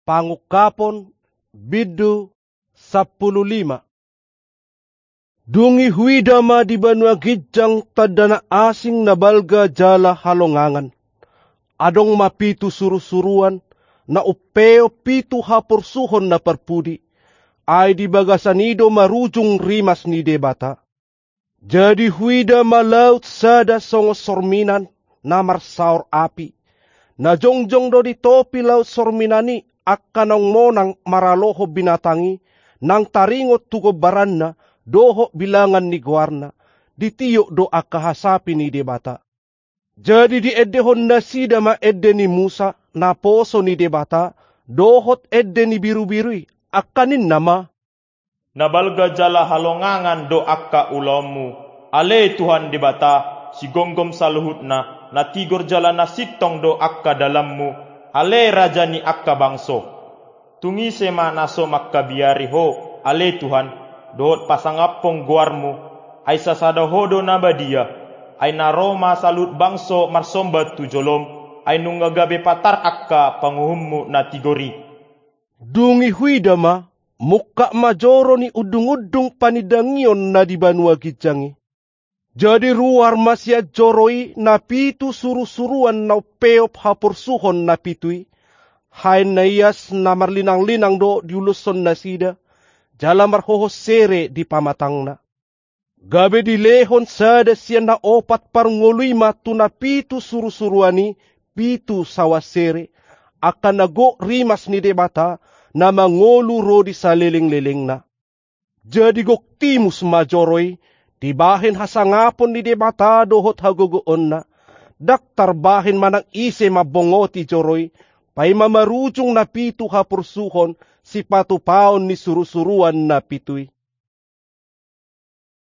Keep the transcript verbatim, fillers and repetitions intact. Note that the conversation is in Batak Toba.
Pangungkapon, bindu sampulu lima. Dung i huida ma di banua ginjang tanda na asing na balga jala halongangan. Adong ma pitu surusuruan, na umpeop pitu haporsuhon na parpudi, ai di bagasan i do marujung rimas ni Debata. Jadi huida ma laut sada songon sorminan, na marsaor api. Na jongjong do di topi laut sorminan i angka naung monang maralohon binatang i, nang taringot tu gombaranna, dohot bilangan ni goarna, ditiop do angka hasapi ni Debata. Jadi diendehon nasida ma ende ni Musa, naposo ni Debata, dohot ende ni birubiru i, angka ninna ma: Na balga jala halongangan do angka ulaonmu, ale Tuhan Debata, sigomgom saluhutna, na tigor jala na sintong do angka dalanmu, ale Raja ni angka bangso. Tung ise ma na so mangkabiari ho, ale Tuhan, dohot pasangaphon goarmu, ai sasada ho do na badia, ai na ro ma saluhut bangso marsomba tu jolom, ai nunga gabe patar angka panguhummu na tigor i. Dung i huida ma, mungkap ma joro ni undungundung panindangion na di banua ginjang i. Jadi ruar ma sian joro i na pitu surusuruan na umpeop haporsuhon na pitu i, haen na ias na marlinanglinang do diuloshon nasida, jala marhohos sere di pamatangna. Gabe dilehon sada sian na opat parngolu i ma tu na pitu surusuruan i pitu sauan sere, angka na gok rimas ni Debata, na mangolu ro di salelenglelengna. Jadi gok timus ma joro i, dibahen hasangapon ni Debata dohot hagogoonna, ndang tarbahen manang ise mambongoti joro i, paima marujung na pitu haporsuhon sipatupaon ni surusuruan na pitu i.